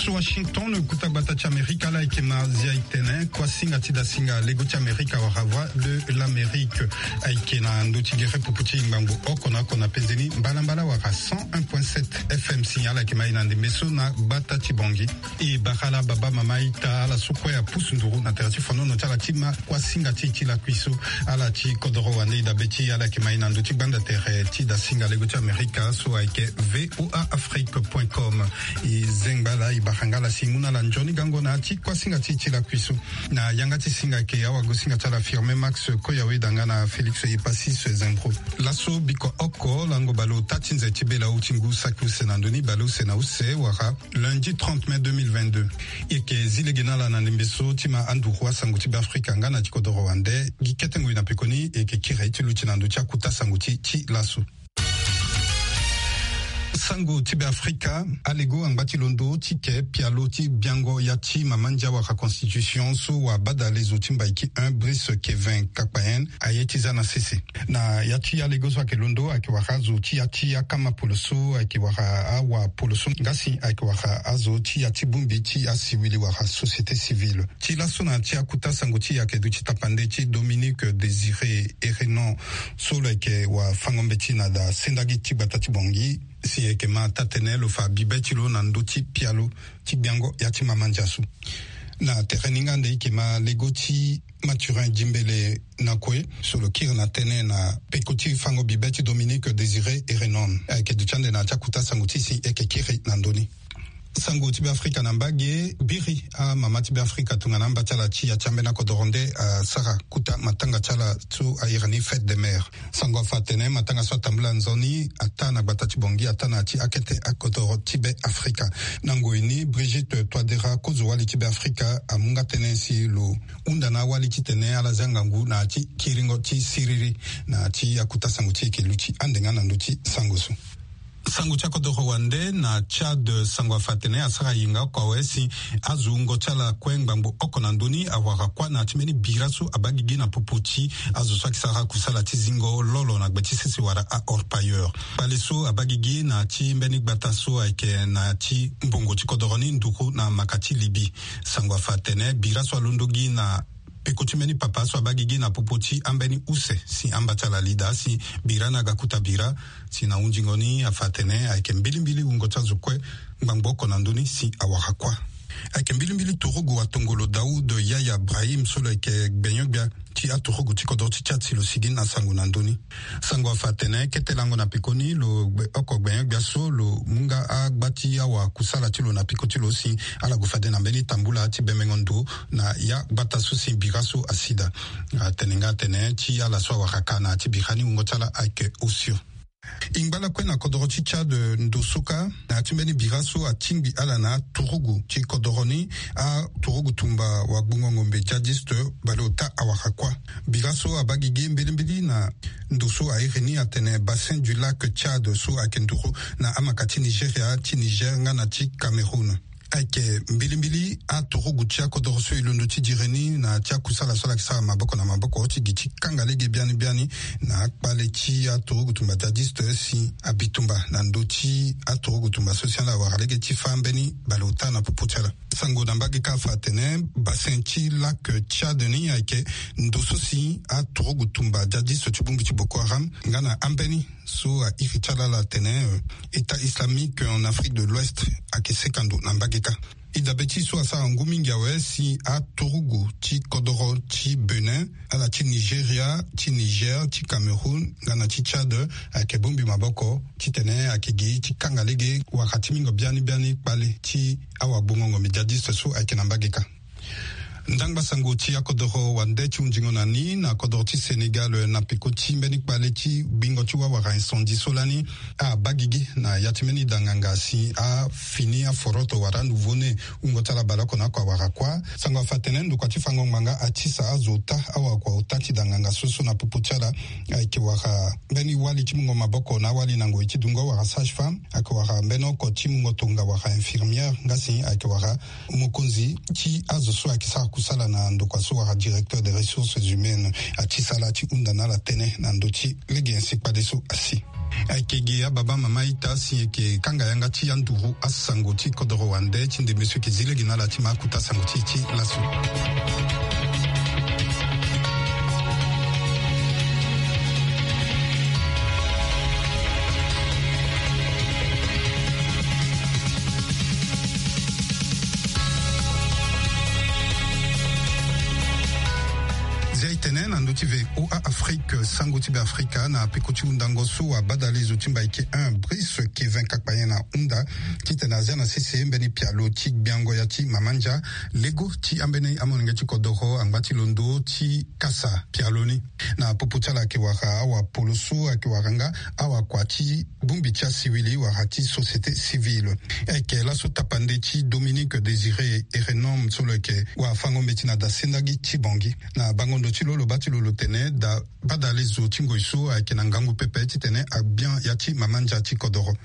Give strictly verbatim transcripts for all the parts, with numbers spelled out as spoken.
So Washington, kuta gbata ti Amerika, ala yeke ma zia e tene kuasinga ti dasinga lego ti Amerika wala Voix de l'Amérique. Ayeke na ndö ti gere pupu ti ngbangbo oko na oko na penzeni mbalambala wala cent un point sept F M. Si ala yeke ma e na ndembe so na gbata ti Bangui. E bara ala baba, mama, ita, ala so kue apusu nduru na tere ti fonono ti ala ti ma kuasinga ti e ti lakui so. Ala ti kodoro wande e dabe ti e, ala yeke ma e na ndö ti gbanda tere ti dasinga lego ti Amerika so ayeke V O A Afrique point com. E zengba ala, e bara nga ala si e mu na ala nzoni gango na ya ti kuasinga ti e ti lakui so. Na yanga ti singa ayeke awagosinga ti ala Firmin Max Koyawe, danga na Félix Epasis Zembro. Laso biko oko lango bale ota ti nze ti bela, awe ti ngu saki use na ndö ni, bale use na use wala lundi trente mai deux mille vingt-deux. E yeke zi lege na ala na ndembe so ti ma anduru asango ti Beafrika nga na ti kodoro wande. Gi kete ngoi na pekoni e yeke kiri ti luti na ndö ti akuta sango ti, ti laso. Sango ti Beafrika. Alego angba ti londo ti ke pialo ti biango ya ti mama ndia wala constitution so wabadale zo ti Mbaiki un, Brice Kevin Kakpahen, aye ti za na sese. Na ya ti alego so ayeke londo ayeke wara azo ti ya ti akama polo so ayeke wara awa polo so nga si ayeke wara azo ti ya ti bongbi ti asiwili wala société civile. Ti laso na ti akuta sango ti e ayeke duti tapande ti Dominique Désiré Erenon so lo yeke wafango-mbeti na da sendagi ti gbata ti Bangui. Si e yeke ma taa-tënë lo fa bibe ti lo na ndö ti pialo ti biango ya ti mama ndia so. Na tere ni nga nde e yeke ma lego ti Mathurin Djimbélé Nakoué so lo kiri na tënë na peko ti fango bibe ti Dominique Désiré Erenon. Ayeke duti ande na ya ti akuta sango ti e si e yeke kiri na ndö ni. Sango ti Beafrika na mbage. Biri amama ti Beafrika tongana amba ti ala ti ya ti ambeni akodoro nde asara kuta matanga ti ala so a iri ni fête des mères. Sango afa atene matanga so atambula nzoni ataa na gbata ti Bangui, ataa na ya ti akete akodoro ti Beafrika. Na ngoi ni, Brigitte Touadéra, kozo wali ti Beafrika, amu nga tënë si lo hunda na awali titene ala zia ngangu na ya ti kiringo ti siriri. Na ya ti akuta sango ti e yeke luti ande nga na ndö ti sango so. Sango ti akodoro wande na Tchad, sango afa atene asara yenga oko awe si azo wungo ti ala kue ngbangbo oko na ndö ni awara kuâ na ya ti mbeni bira so abaa gigi na popo ti azo so ayeke sara kusala ti zingo lolo na gbe ti sese wala a-orpailleur. Kpale so abaa gigi na ya ti mbeni gbata so ayeke na ya ti mbongo ti kodoro ni nduru na maka ti Libye. Sango afa atene bira so alondo gi na peko ti mbeni papa so abaa gigi na popo ti ambeni use si amba ti ala li daa si bira ni aga kuta bira. Si na hunzingo ni afa atene ayeke mbilimbili wungo ti azo kue ngbangbo oko na ndö ni si awara kuâ. Ayeke mbilimbili turugu atongolo Daoud Yaya Brahim so lo yeke gbenyo-gbia ti aturugu ti kodro ti Tchad si lo sigi na sango na ndö ni. Sango afa atene kete lango na pekoni lo gbe oko gbenyo-gbia so lo mu nga agba ti awakusala ti lo na peko ti lo si ala gue fade na mbeni tambula ti bemengo ndo na ya gbata so si bira so asi daa. Atene nga atene ti ala so awara ka na ya ti bira ni wungo ti ala ayeke osio. E ngba lakue na kodoro ti Tchad ndo so kâ na ya ti mbeni bira so atingbi ala na aturugu ti kodoro ni, aturugu tumba wagbongo ngombe djihadiste, bale ota awara kuâ. Bira so abaa gigi mbilimbili na ndo so a iri ni atene Bassin du Lac Tchad so ayeke nduru na amaka ti Nigeria, ti Niger nga na ti Cameroun. Ayeke mbilimbili aturugu ti akodoro so e londo ti dire ni na ya ti akusala so ala yeke sara maboko na maboko ti gi ti kanga lege biani biani na akpale ti aturugu tumba djihadiste si abi tumba na ndö ti aturugu tumba so si ala wara lege ti fâ mbeni baleota na popo ti ala. Sango na mbage kâ afa atene Bassin ti Lac Tchad ni ayeke ndo so si aturugu tumba djihadiste ti bongbi ti Boko Haram nga na ambeni so a iri ti ala ala atene, euh, État islamique en Afrique de l'Ouest ayeke seka ndo na mbage kâ. E dabe ti e so asara ngu mingi awe si aturugu ti kodoro ti Bénin, ala ti Nigeria, ti Niger, ti Cameroun nga na ti Tchad ayeke bongbi maboko titene ayeke gi ti kanga lege wala ti mingo biani biani kpale ti awagbongo ngombe djihadiste so ayeke na mbage kâ. Ndangba sango ti akodoro wande ti hunzingo na ni na kodoro ti Sénégal na peko ti mbeni kpale ti gbingo ti wawara incendie so lani abaa gigi na ya ti mbeni danganga si afini aforoto wala nouveau-né wungo ti ala baleoko na oko awara kuâ. Sango afa atene ndokua ti fango ngbanga atisa azo ota awakua ota ti danganga so so na popo ti ala ayeke wara mbeni wali ti mungo maboko na awali na ngoi ti dungo wala sage-femme, ayeke wara mbeni oko ti mungo tonga wala infirmière nga si ayeke wara mokonzi ti azo so ayeke sara kusala na ndokua so wala directeur des ressources humaines. Atisa ala ti hunda na ala tënë na ndö ti lege nyen si kpale so asi. Ayeke gi ababa mama ita si e yeke kanga yanga ti anduru asango ti kodoro wande ti ndembe so e yeke zi lege na ala ti ma akuta sango ti e ti laso. Zia e tene na ndö ti V O A Afrique, sango ti Beafrika na peko ti hundango so wabadale zo ti Mbaike un, Brice Kevin Kakpayen ahunda titene azia na sese mbeni pialo ti gbiango ya ti mama ndia, lego ti ambeni amolenge ti kodoro angba ti londo ti kasa pialo ni. Na popo ti ala ayeke wara awapolo so ayeke wara nga awakua ti bongbi ti asiwili wala ti société civile. Ayeke laso tapande ti Dominique Désiré Erenome so lo yeke wafango-mbeti na da sendagi ti Bangui. Na bango ndo ti lo, lo baa ti lo lo tene da badale zo ti ngoi so ayeke na ngangu pepe titene agbia ya ti mama ndia ti kodoro.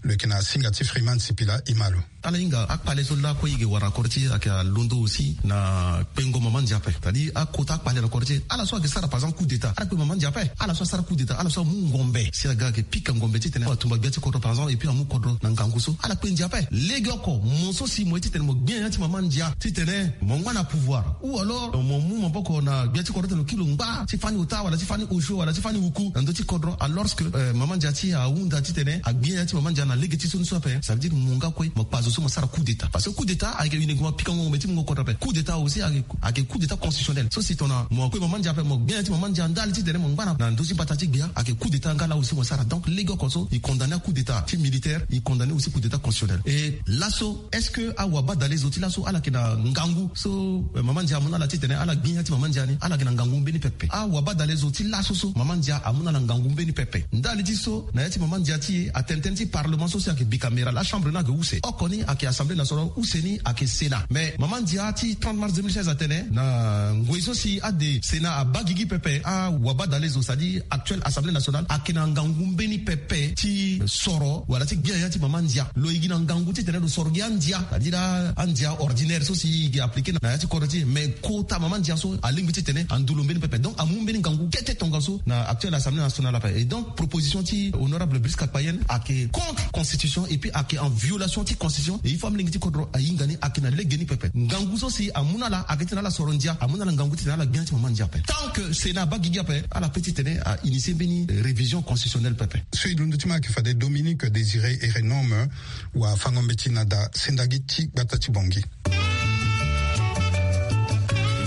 Lo yeke na singa ti Freeman Sipila, e ma lo. Ala hinga akpale so lakue e yeke wara na kodro ti e ayeke alondo aussi na kpengo mama ndia ape. C'est-à-dire akota akpale na kodro ti e. Ala so ayeke sara par exemple coup d'état, ala kpe mama ndia ape. Ala so asara coup d'état, ala so amu ngombe si aga ayeke pika ngombe titene atumba gbia ti kodro par exemple, et puis amu kodro na ngangu so, ala kpe ndia ape. Legeoko mo so si mo ye titene mo gbia ya ti mama ndia titene mo ngba na pouvoir, ou alors mo mu maboko na gbia ti kodro titene lo kiri lo ngba ti fani ota wala ti fani osio wala ti fani uku na ndö ti kodro, alors que, euh, mama ndia ti e ahunda titene agbia ya ti mama ndia na lege ti so ni so ape. Ça veut dire mo nga kue mo kpa zo so mo sara coup d'état, parce que coup d'état ayeke uniquement pikango ngombe ti mungo kodro ape. Coup d'état aussi ayeke, ayeke coup d'état constitutionnel. So si tongana mo kue mama ndia ape, mo gbia ya ti mama ndia ndali titene mo ngba na ndö ti mbata ti gbia, ayeke coup d'état nga la aussi mo sara. Donc legeoko so e condamné coup d'état ti militaire, e condamné aussi coup d'état constitutionnel. Et laso, est-ce que awabadale zo ti laso ala yeke na ngangu so, eh, mama ndia amu na ala titene ala gbi ya ti mama ndia ni, ala yeke na ngangu mbeni pepe? Awabadale zo ti laso so mama ndia amu na ala ngangu mbeni pepe. Ndali ti so, na ya ti mama ndia ti e atene tënë ti parlement so si ayeke bicaméral, achambre ni ayeke use. Oko ni ayeke Assemblée nationale, use ni ayeke Sénat. Mais mama ndia ti trente mars deux mille seize atene na ngoi so si ade Sénat abaa gigi pepe, awabadale zo, c'est-à-dire actuelle Assemblée nationale, ayeke na ngangu mbeni pepe ti soro wala ti gbia ya ti mama ndia. Lo ye gi na ngangu titene lo soro gi andia, c'est-à-dire andia ordinaire so si e gi appliqué na ya ti kodro ti e. Mais kota mama ndia so alingbi titene ando lo mbeni pepe. Donc amu mbeni ngangu kete tongaso na actuelle Assemblée nationale ape. Et donc proposition ti honorable Brice Kakpayen ayeke contre constitution et puis ayeke en violation ti constitution. Et il faut amolenge ti kodro ahinga ni ayeke na lege ni pepe. Ngangu so si amu na ala ayeke titene ala soro ndia, amu na ala ngangu titene ala gbia ti mama ndia ape. Tant que Sénat abaa gigi ape, ala pe titene a initier mbeni révision constitutionnelle pepe. So e londo ti ma ayeke fade Dominique Désiré Erenome, wafango-mbeti na da sendagi ti gbata ti Bangui. E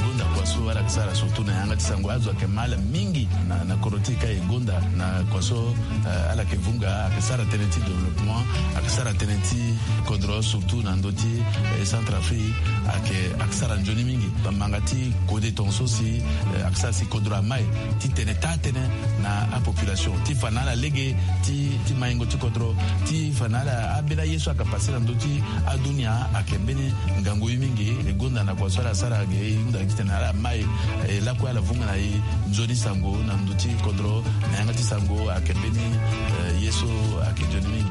gonda kua so ala yeke sara surtout na yanga ti sango, azo ayeke ma ala mingi na, na kodro ti e ka e gonda na kua so, eh, ala yeke vunga, ayeke sara tënë ti développement, ayeke sara tënë ti kodro surtout na ndö ti, eh, Centrafrique, ayeke, ayeke sara nzoni mingi. Bamanga ti kode tongaso si, eh, ayeke sara si kodro amai ti tene taa tënë na apopulation ti fa na ala lege ti, ti maingo ti kodro, ti fa na ala ambeni aye so ayeke pase na ndö ti adunia, ayeke mbeni ngangu ye mingi. E gonda na kua so ala sara ge, e hunda titene ala mai, e lakue ala vunga na e nzoni sango na ndö ti kodro, na yanga ti sango ayeke mbeni, eh, ye so ayeke nzoni mingi.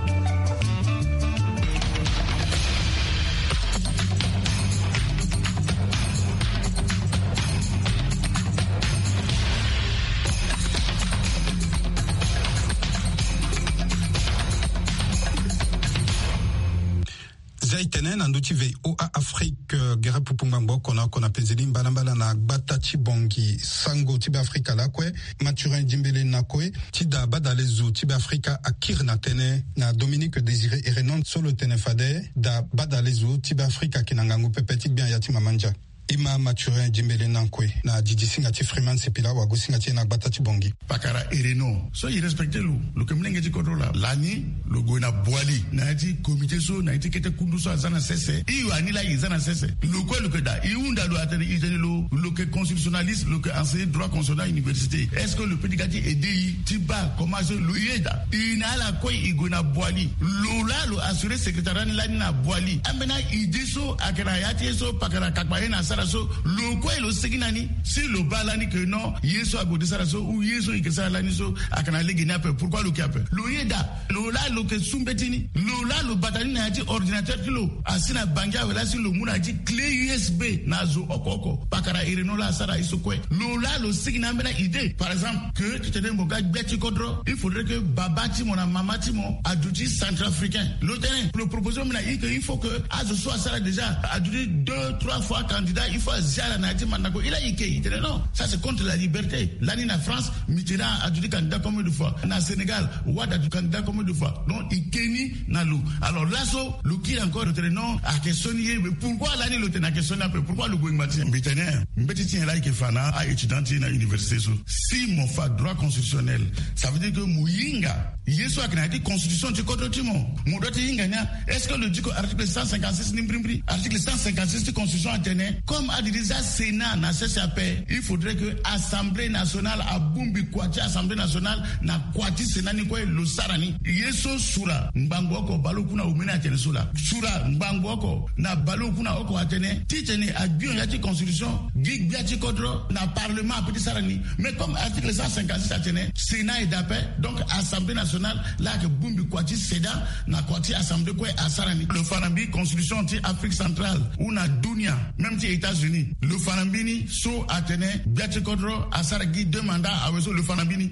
Zia e tene na ndö ti V O A Afrique, eh, gere pupu ngbangbo oko na oko na pezeli mbalambala na gbata ti Bangui. Sango ti Beafrika lakue, Mathurin Dimbele Nakue, ti da badale zo ti Beafrika akiri na tënë na Dominique Désiré Erenome so lo tene fade da badale zo ti Beafrika ayeke na ngangu pepe ti gbia ya ti mama ndia. E ma Mathurin Dimbele Nakue na didi singa ti Freeman Sipila, wago singa ti e na gbata ti Bangui. Pakara Erenome so e respecté lo, lo yeke molenge ti kodro laa. Lani lo gue na Boali na ya ti comité so, na ya ti kete kundu so aza na sese. E yo ani laa e za na sese. Lo kue lo yeke daa, e hunda lo atene e tene lo, lo yeke constitutionnaliste, lo yeke enseigner droit constitutionnel à université. Est-ce que lo peut ti ga ti aider e ti baa comment so lo ye daa? E na ala kue e gue na Boali. Lo laa lo assurer secrétariat ni lani na Boali. Ambeni idée so ayeke na ya ti e so pakara Kakpayen asara. Sara so lo kue lo sigi na ni si lo baa lani ke non, ye so ague ti sara so ou ye so e ke sara lani so ayeke na lege ni ape. Pourquoi lo ke ape? Lo yeda. Lo laa lo ke su mbeti ni. Lo laa lo bata ni na ya ti ordinateur ti lo. Asi na bangi awe laa si lo mu na ya ti clé U S B na zo oko oko. Pakara iri no laa asara ye so kue. Lo laa lo sigi na ambeni idée, par exemple, ke titene mo ga gbia ti kodro, il faudrait que baba ti mo na mama ti mo aduti centrafricain. Lo tene lo proposé mo na i ke il faut que azo so asara déjà aduti deux trois fois candidat, il faut azia ala na ya ti mandako. I laa i ke, i tene non, ça c'est contre la liberté. Lani na France, Mitterrand aduti candidat combien de fois? Na Sénégal, Wade aduti candidat combien de fois? Donc i ke ni na lo. Alors laso lo kiri encore, lo tene non, ayeke sioni ye. Mais pourquoi lani lo tene ayeke sioni ape? Pourquoi lo gue ngba ti nyen? Mbi tene mbeti ti nyen laa i ke fa na a-étudiant ti e na université so? Si mo fa droit constitutionnel, ça veut dire que mo hinga ye so ayeke na ya ti constitution ti kodro ti mo. Mo doit ti hinga ni a. Est-ce que lo diko article cent cinquante-six ni mbirimbiri? Article cent cinquante-six ti constitution atene comme adiri za Sénat na sese ape, il faudrait que Assemblée nationale abongbi kua ti Assemblée nationale na kua ti Sénat ni kue lo sara ni. Ye so sura ngbangbo oko baleoku na omeni atene so laa. Sura ngbangbo oko na baleoku na oko atene titene agbio ya ti constitution gi gbia ti kodro na parlement ape ti sara ni. Mais comme article cent cinquante-six atene Sénat eda ape, donc Assemblée nationale laa ayeke bongbi kua ti Sénat na kua ti Assemblée kue asara ni. Lo fa na mbi constitution ti Afrique centrale ou na dunia, même ti États-Unis, lo fa na mbi ni so atene gbia ti kodro asara gi deux mandats awe so, lo fa na mbi ni.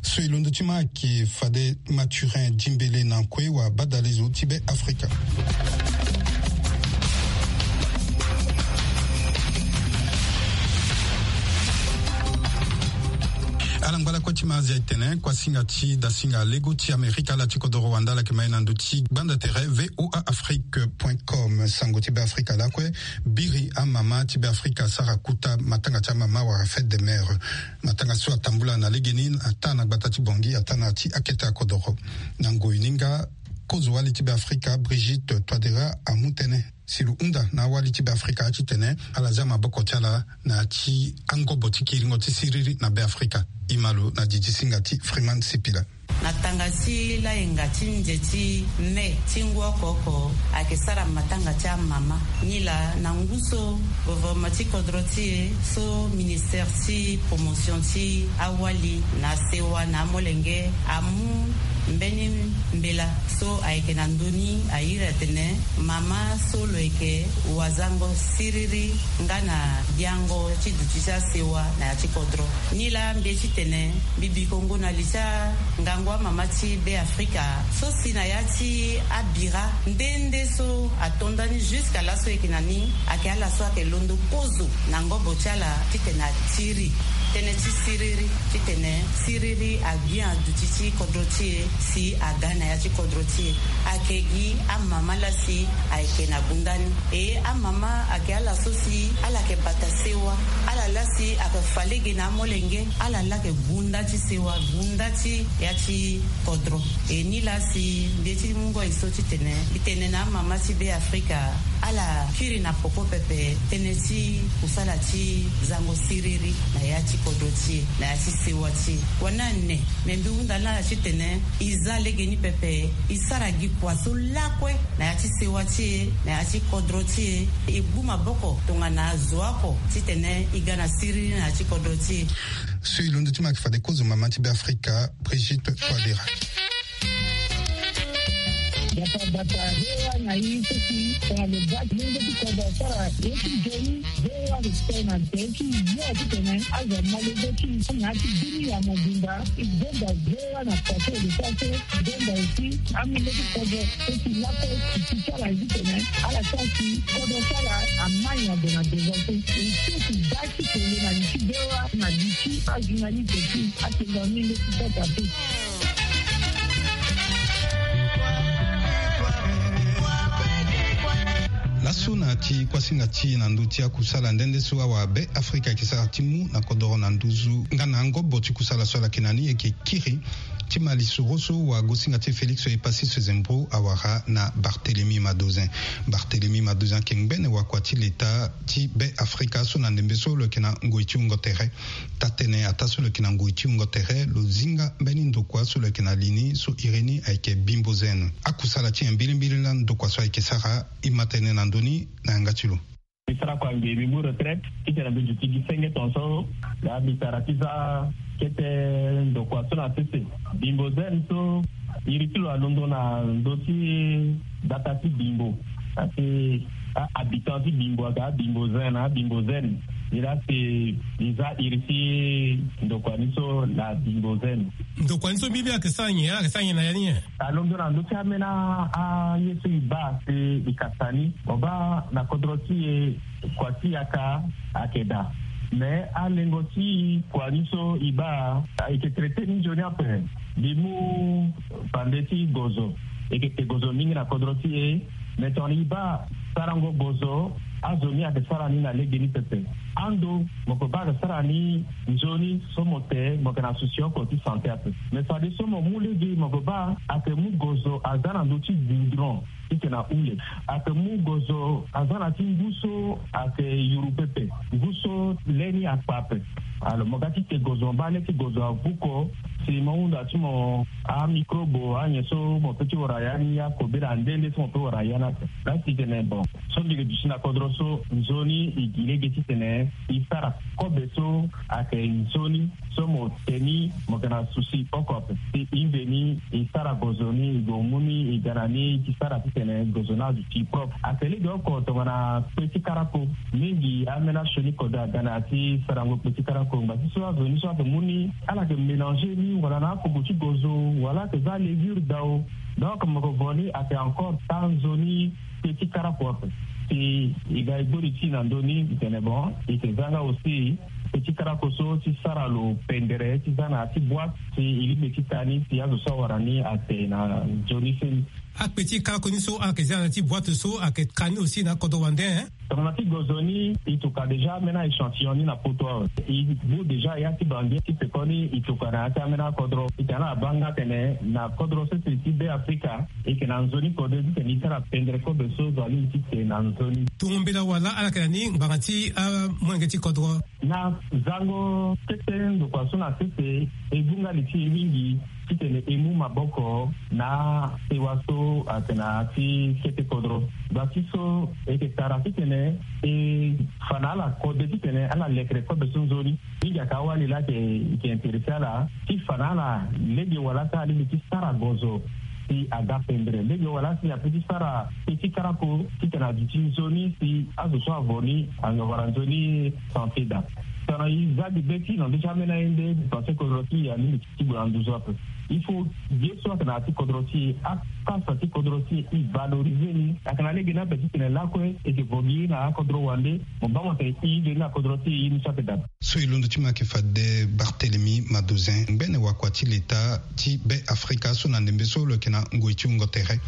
So e londo ti ma ayeke fade Mathurin Dimbele na kue wa badalezo ti Be Afrika. Ala ngba lakue ti ma azia e tene kuasinga ti dasinga lego ti Amerika ala ti kodoro wanda ala yeke ma e na ndö ti gbanda tere V O A Afrique point com. Sango ti Be Afrika lakue biri amama ti Be Afrika asara kuta matanga ti amama wala fête des mères. Matanga so atambula na legeni ataa na gbata ti Bangui ataa na ya ti akete akodoro. Na ngoi ni nga kozo wali ti Be Afrika Brigitte Touadéra amu tënë si lo hunda na awali ti Be Afrika ya titene ala zia maboko ti ala na ya ti angobo ti kiringo ti siriri na Be Afrika. E ma lo na didi singa ti Freeman Sipila. Na tanga ti layenga ti nze ti mai ti ngu oko oko ayeke sara matanga ti amama. Nilaa na ngu so gouvernement ti kodro ti e so ministère ti promotion ti awali na asewa na amolenge amu mbeni mbela so ayeke na ndö ni airi atene mama so lo yeke wazango siriri nga na giango ti duti ti asewa na ya ti kodro. Nilaa mbi ye titene mbi bi kongo na li ti angangu amama ti Be Afrika so si na ya ti abira nde nde so ato nda ni jusqu'à laso e yeke na ni ayeke ala so ayeke londo kozo na ngobo ti ala titene atiri tënë ti siriri titene siriri agbia aduti ti kodro ti e si aga na ya ti kodro ti e. Ayeke gi amama laa si ayeke na gunda ni. E amama ayeke ala so si ala yeke bata sewa, ala laa si ayeke fa lege na amolenge, ala laa ayeke gunda ti sewa, gunda ti ya ti kodro. E nilaa si mbi ye ti mungo e so titene mbi tene na amama ti Be Afrika ala kiri na poko pepe tënë ti kusala ti zango siriri na ya ti kodro ti e na ya ti sewa ti e. Wani ane me mbi hunda na ala titene e za legeni pepe, e sara gi kua so lakue na ya ti sewa ti e na ya ti kodro ti e. E gbu maboko tongana azo oko titene e ga na siriri na ya ti kodro ti e. So e londo ti ma ayeke fade kozo mama ti Be Afrika Brigitte Touadéra. Bata bata hewa na i so si tongana lo baa ti lenge ti kodro asara ye ti nzoni. Hewa respect na nze ti yo titene azo amolenge ti na ya ti bini ya mobimba. E gonda hewa na kua so e lo sara so. Gonda aussi amolenge ti kodro so si lakue ti ti ti ala titene ala sara si kodro ti ala amai na ndo na devant so. E so si baa ti tene na li ti hewa na li ti ajournaliste ti atene na mbi nde ti kota te. Laso na ya ti kuasinga ti e na ndö ti akusala nde nde so awa Be Afrika ayeke sara ti mu na kodoro na nduzu nga na angobo ti kusala so ala yeke na ni e yeke kiri ti ma lisoro so wa gosinga ti e Félix Epassis Zembrou awara na Barthélemy Madozin. Barthélemy Madozin ayeke ngbene wakua ti leta ti Be Afrika so na ndembe so lo yeke na ngoi ti wungo tere. Taa-tënë ataa so lo yeke na ngoi ti wungo tere lo zinga mbeni ndokua so lo yeke na li ni so iri ni ayeke Bimbo Zen. Akusala ti nyen mbilimbili laa ndokua so ayeke sara? E ma tene na ndö ni na yanga ti lo. Sara kua nge mbi mu retraite titene mbi duti gi senge tongaso. Laa mbi sara ti za kete ndokua so na sese. Bimbo zen so iri ti lo alondo na ndö ti data ti bimbo. Asi ahabitant ti bimbo aga abimbo zen na abimbo zen. Iri asi eza iri ti ndokua ni so na bimbo zen. Ndokua ni so mbi mbi ayeke sara nyen ayeke sara nyen na ya ni nyen? Alondo na ndö ti amena aye so e baa si e kasa ni mo baa na kodro ti e. Kua ti yaka ayeke daa. Me alengo ti kua ni so e baa e yeke traite ni nzoni ape. Mbi mu bande ti gozo e yeke te gozo mingi na kodro ti e. Me tongana e baa sarango gozo azo ni ayeke sara ni na legeni pepe. Ando mo yeke baa ayeke sara ni nzoni so mo te mo yeke na susi oko ti sante ape. Me fade so mo mu lege mo yeke baa ayeke mu gozo aza na ndö ti goudron. Titene ahule ayeke mu gozo aza na ti ngu so ayeke yuru pepe. Ngu so le ni akpa ape. Alors mo ga ti te gozo mo baa le ti gozo avuko. Si mo hunda ti mo amicrobe anyen so mo pe ti wara ya ni akobela nde nde so mo pe wara ya ni ape. Laa si tene bon so mbi yeke duti na kodro so nzoni e gi lege titene e sara kobe so ayeke nzoni so mo te ni mo yeke na susi oko ape. Si e mveni e sara gozo ni e gue mu ni e ga na ni e ti sara titene gozo ni aduti propre. Ayeke lege oko tongana kpe ti karako. Mingi amena sioni kode aga na ya ti sarango kpe ti karako ngba ti so azo ni so ayeke mu ni ala yeke mélanger ni wala na akogo ti gozo wala ayeke za levure dao. Donc mo yeke vo ni ayeke encore taa nzoni kpe ti karako ape. Si e ga e gbori ti e na ndö ni e tene bon e yeke za nga aussi kpe ti karako so ti sara lo pendere ti za na ya ti boite. Si e lingbi ti taa ni si azo so awara ni ate na nzoni seni. Akpe ti karako ni so ayeke za na ya ti boite so ayeke ka ni aussi na akodro wande. Tongana ti gozo ni e tuka déjà amena échantillon ni na poto awe. E bu déjà ya ti bangi ti pekoni e tuka na ya ti amena akodro e tene ala baa nga tene na kodro sese ti be afrika. E yeke na nzoni kode titene e sara pendere kobe so zo alingbi ti te na nzoni. Tongo mbela wala ala yeke na ni ngbanga ti amolenge ti kodro. Na zango kete ndokua so na sese e gu nga li ti e mingi titene e mu maboko na sewa so ayeke na ya ti kete kodro. Gba ti so e yeke tara titene e fa na ala kode titene ala lekere kobe so nzoni. Mingi ayeke awali laa ayeke e yeke interesse ala ti fa na ala lege wala ti ala lege ti sara gozo. Si aga pendere lege wala si ape ti sara pe ti karako titene aduti nzoni si azo so avo ni anga wara nzoni sante daa. Tongana e za gi be ti e na ndö ti amena ye nde mbi pense kodro ti e alingbi ti gue na nduzu ape. Il faut ye so ayeke na ya ti kodro ti e apasa ti kodro ti e e valoriser ni ayeke na lege ni ape titene lakue e yeke vo gi na akodro wande. Mo baa mo tene e nzoni na kodro ti e ye ni so ape daa. So e londo ti mo ayeke fade Barthélemy Madozin ngbene wakua ti leta ti be afrika so na ndembe so lo yeke na ngoi ti wungo tere.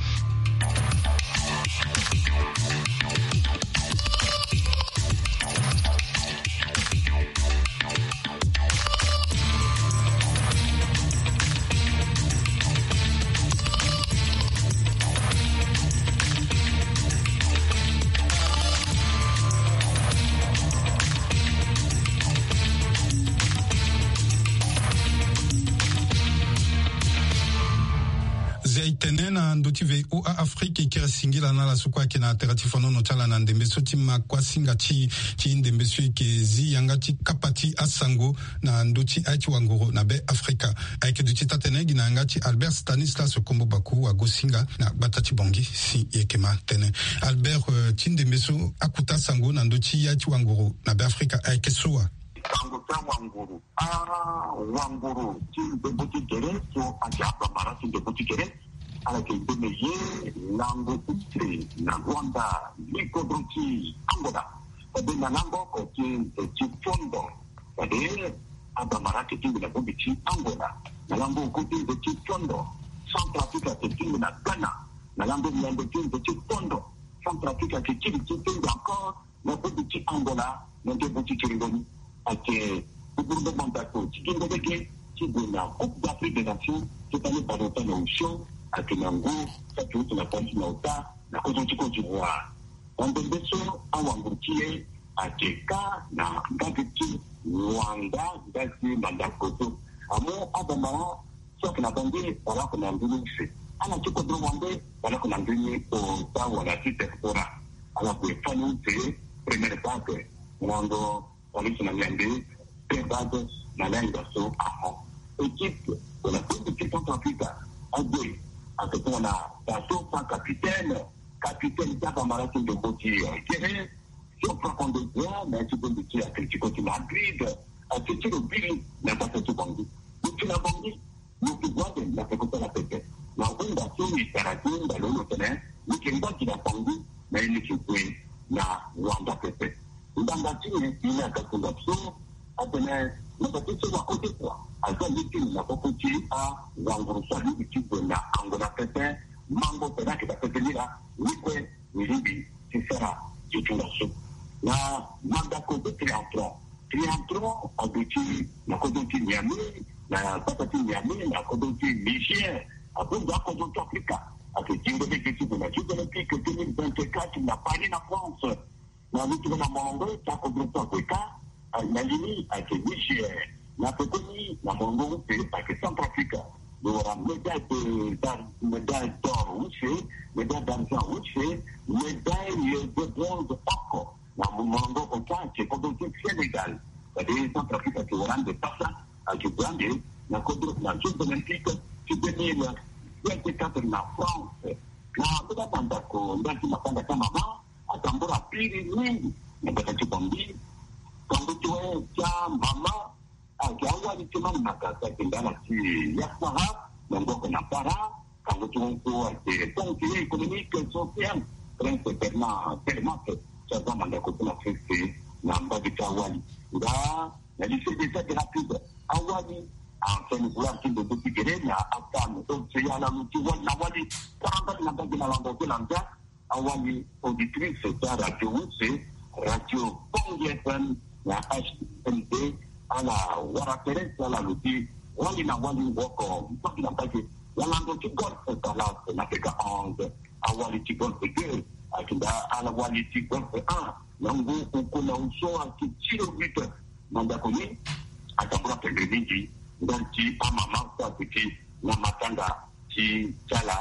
Zia e tene na ndö ti V O A Afrique e kiri singila na ala so kue ayeke na tere ti fonono ti ala na ndembe so ti ma kuasinga ti ti ndembe so e yeke zi yanga ti kapa ti asango na ndö ti aye ti wangoro na be afrika. Ayeke duti taa-tene gi na yanga ti Albert Stanislas Kombo Baku wagosinga na gbata ti Bangui si e yeke ma tene. Albert, eh, ti ndembe so akuta sango na ndö ti aye ti wangoro na be afrika ayeke so wa? Sango ti awangoro, awangoro ti ndembo ti gere so ayeke abambara ti ndembo ti gere. Ala yeke mbeni ye lango use na Rwanda, li kodro ti Angola. Fade na lango oko ti nze ti fondo. Fade abambara ayeke tingbi na bongbi ti Angola. Na lango oku ti nze ti fondo, Centrafrique ayeke tingbi na Ghana. Na lango ngbende ti nze ti fondo, Centrafrique ayeke kiri ti tingbi encore na bongbi ti Angola. Na nge bongbi ti kiringo ni ayeke ti buru ndombo ndako ti gi nde lege ti gue na Coupe d'Afrique des Nations ti tani baleota na osio. Ayeke na ngu ti ayeke uti na Paris na ota na kodro ti Côte d'Ivoire. Na ndembe so awanguru ti e ayeke kâ na mbage ti Rwanda, ndali ti mandako so amu abambara so ayeke na bande wala oko na ndö ni use. Ala ti kodro wande wala oko na ndö ni ota wala ti diaspora. Ala gue fani use Première vague, ngango police na miambe, deux vagues na lenga so ahon. Équipe de la Coupe du Centrafrique, ague, atokona baso sans capitaine, capitaine Tata Maraki Ndokoti, euh, Kéré, sur trois contre deux, mais tu peux dire Atletico de Madrid, euh, c'est le but, mais pas que tu bandit. Donc tu l'as bandit. Moto gue ande na peko ti ala pepe. Na hunda so e tara ti hunda lo lo tene, ni yeke ngba gi na Bangui, na ye ni yeke gue na Rwanda pepe. Ngbanga ti nyen? Ni aga kunda so atene, na bate so na ode kua, aza lege ti na koko ti awanguru so alingbi ti gue na Angola pepe, mango tene ayeke daa pepe ni laa, ni kue ni lingbi ti sara ti tongaso. Na mandako ti triathlon. Triathlon aduti na kodro ti Niamey, na gbata ti Niamey, na kodro ti Niger. Abongbi akodro ti Afrika. Ayeke zingo lege ti gue na Jeux Olympiques deux mille vingt-quatre na Paris, na France. Na lutu na molongo ti akodro so ague kâ, na li ni ayeke Niger. Na pekoni na molongo use ayeke Centrafrique. Lo wara médaille de, d'ar-, médaille d'or use, médaille d'argent use, médaille de bronze oko. Na molongo ota ayeke kodro ti Sénégal. Fade Centrafrique ayeke wara ande pasa, ayeke gue ande na kodro na Jeux Olympiques ti deux mille vingt-quatre na France. Na mbeni amandako ndali ti mapanga ti amama, atambula piri mingi na gbata ti Bangui. Kango ti wâ ti amama ayeke awali ti Mani Magasa, ayeke ndala ti Yassara, na ngoko na Para. Kango ti wâ so ayeke conseiller économique, social, Prince Bernard Telemaque, ti aza mandako ti na sese na mbage ti awali. Nga na lycée des Aigues Rapides, awali ancien vouloir ti ndembe ti gere na AFAM, océan, ala lo ti wali na wali. Tara mbage na mbage na lando ti landia. Awali auditrice ti aradio use, Radio Bangui F M na H M D, ala wara tere ti ala lo ti wali na wali woko mbage na mbage na lando ti golfe Dallas na peka onze, awali ti golfe deux, ayeke daa ala wali ti golfe un na ngu oko na hu so ayeke ti lo huit. Mandako ni atambula pendre mingi ndali ti amama so aduti na matanga ti ti ala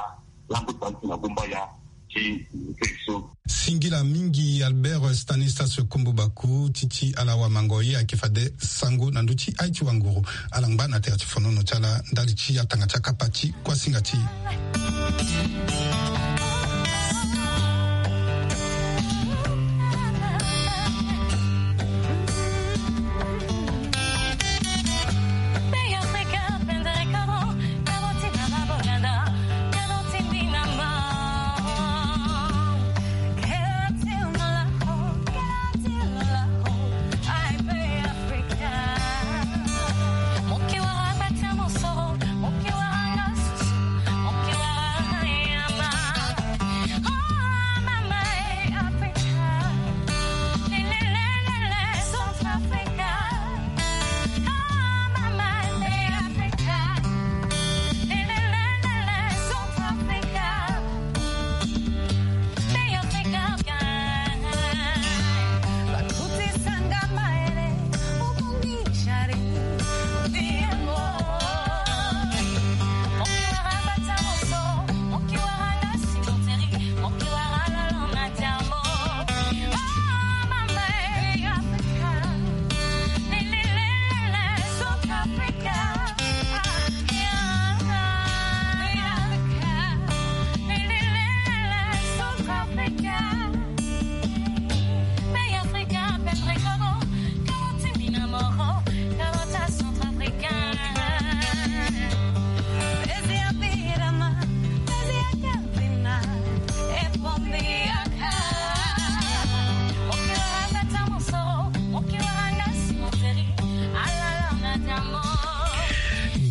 lango ti bale ti na gumbaya ti nze so. Singila mingi Albert Stanislas Kombo Baku ti ti ala wamango ye ayeke fade sango na ndö ti aye ti wanguru. Ala ngba na tere ti fonono ti ala ndali ti atanga ti akapa ti kuasinga ti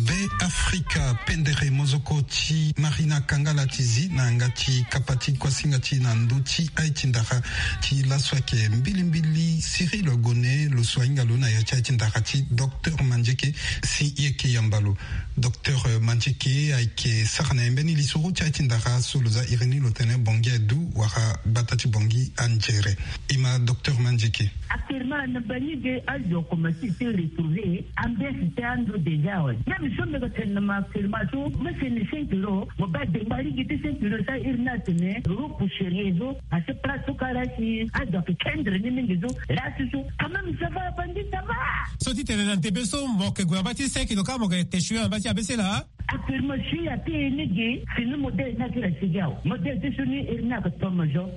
Be Afrika, pendere mozoko ti Marina Kangala ti zi na yanga ti kapa ti kuasinga ti na ndö ti aye ti ndara ti laso ayeke mbilimbili Cyril Gone, lo so ahinga lo na ya ti aye ti ndara ti Docteur Mandieke si e yeke yamba lo. Docteur Mandieke ayeke sara na e mbeni lisoro ti aye ti ndara so lo za iri ni lo tene Bangui adu wala gbata ti Bangui anzere. E ma Docteur Mandieke. Actuellement na bangi ge azo komanse ti retrouver ambiance ti ando déjà awe. Même so mbi ga tene na ma actuellement so mbi sene Lo mo ba dengba ligi ti sentilo sa iri ni atene lo poucherie zo. Asi place so kara si azo akekendre ni mingi zo. Lasi so quand même ça va bandi ça va. So ti tene na ndembe so mo yeke gue na mba ti sentilo kâ mo yeke te sui na mba ti abese laa. Affirmation ya ti e ni gi fini modèle ni akiri asigi awe. Modèle ti so ni iri ni aka tomo zo.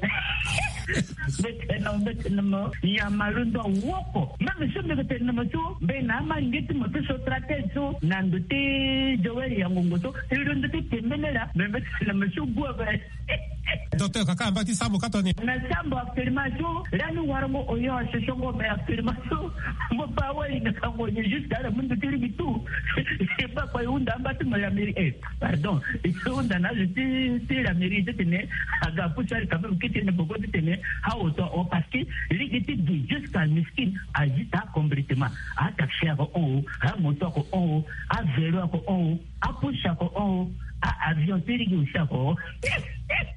Mbetene mbetene mo nyama londo awoko. Même so mbi yeke tene na mo so mbi na ama nge ti mo ti so stratège so na ndo ti Joël ya ngongo so. E londo ti tembele laa me mbetene mo so gue ape. Docteur kaka amba ti sambo ka toni. Na sambo affirmation lani warango oyo asosongo me affirmation. Mo ba wali na kango ni juste ala mundu ti ligi tout. E ba kpa e hunda amba ti mo ya miri e. Pardon. E hunda na azo ti ti la mairie ti tene aga apusu ali quand même kiti ne boko ti tene. Awo to o parce que ligi ti gi jusqu'à miskin. Azita complètement. Ataxi ako o, amoto ako o, avelo ako o, apusu ako o, a avion ti ligi aussi ako o.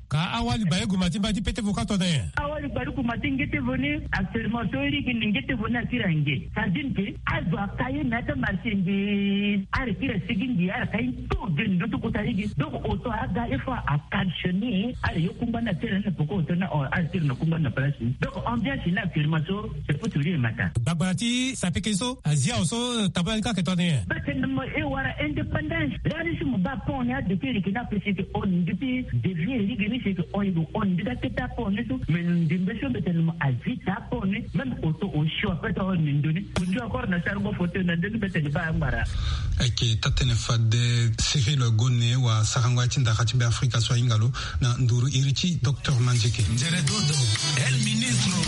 Ka awali baleku ma ti mba ti pete vo ka tona nyen? Awali baleku ma ti nge ti vo ni. Actuellement so ligi ni nge ti vo ni akiri ange. Ça veut dire que azo aka ye me ata marché nge. Ala kiri asigi nge ala ka ye tout de ndo ti kota ligi. Donc oto aga il faut a caltionner ala ye kungba ni atiri na poko oto na o ala tiri na kungba na place ni. Donc ambiance ni actuellement so c'est pour tout le matin. Gbagbara ti sapeke so azia awo so tabula ni ka ke toni nyen? Mbetene mo e wara indépendance. Lani si mo ba pont ni adepie leke ni apesi ke on depuis devie ligi ni si ke on igo on ndika keta pont ni so. Mais ndembe so mbetene mo azita pont ni même oto osio ape to on ni ndoni. Osio akora na sarango foto na ndoni mbetene ba angbara. Ayeke taa-tënë fade Cyril Gone wa sarango ya ti ndara ti Beafrika so ahinga lo na nduru iri ti docteur Manzeke. Nzere dodo, el ministro.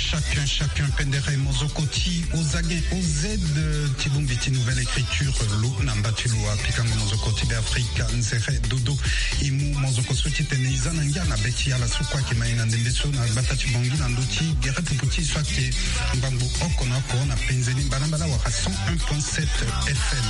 Chacun, chacun, pendere mozoko ti ozage oz ti bongbi ti nouvelle écriture lo na mba ti lo apikango mozoko ti Beafrika nzere dodo. E mu mozoko so ti tene e za na ngia na be ti ala so kue ayeke ma e na ndembe so na gbata ti Bangui na ndö ti gere pupu ti e so ayeke ngbangbo oko na oko na penze ni mbalambala wala cent un point sept F M.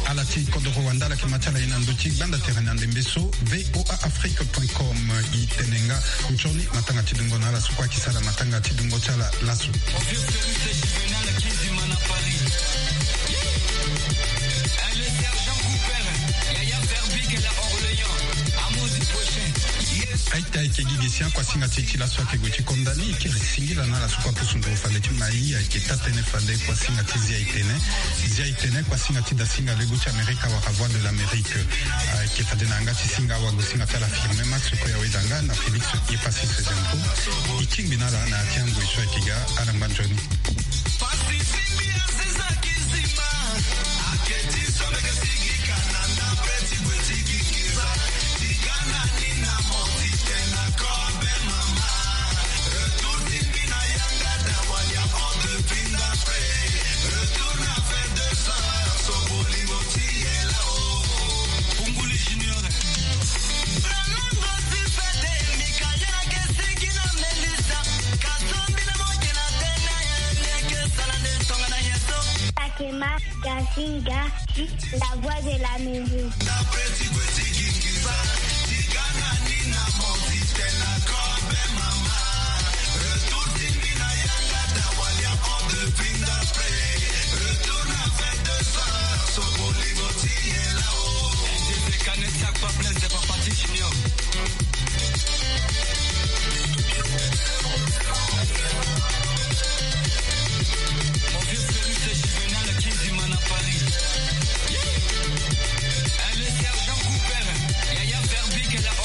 Ala ti kodoro wanda ala yeke ma ti ala ye na ndö ti gbanda tere na ndembe so V O A Afrique point com. E tene nga nzoni matanga ti dungo na ala so kue ayeke sara matanga ti dungo ti ala laso. Aita ayeke gi gi si akuasinga ti e ti laso ayeke gue ti konda ni e kiri singila na ala so kue apusu nduru fade ti mai ayeke taa-tënë fade kuasinga ti Zia e tene. Zia e tene kuasinga ti dasinga lego ti Amerika wala Voix de l'Amérique. Ayeke fade na yanga ti singa awagosinga ti ala Firmin Max kue aweda nga na Félix Epassis Zempo. E tingbi na ala na ya ti angoi so ayeke ga ala ngba nzoni. Takema Gasinga, la voix de l'Amérique.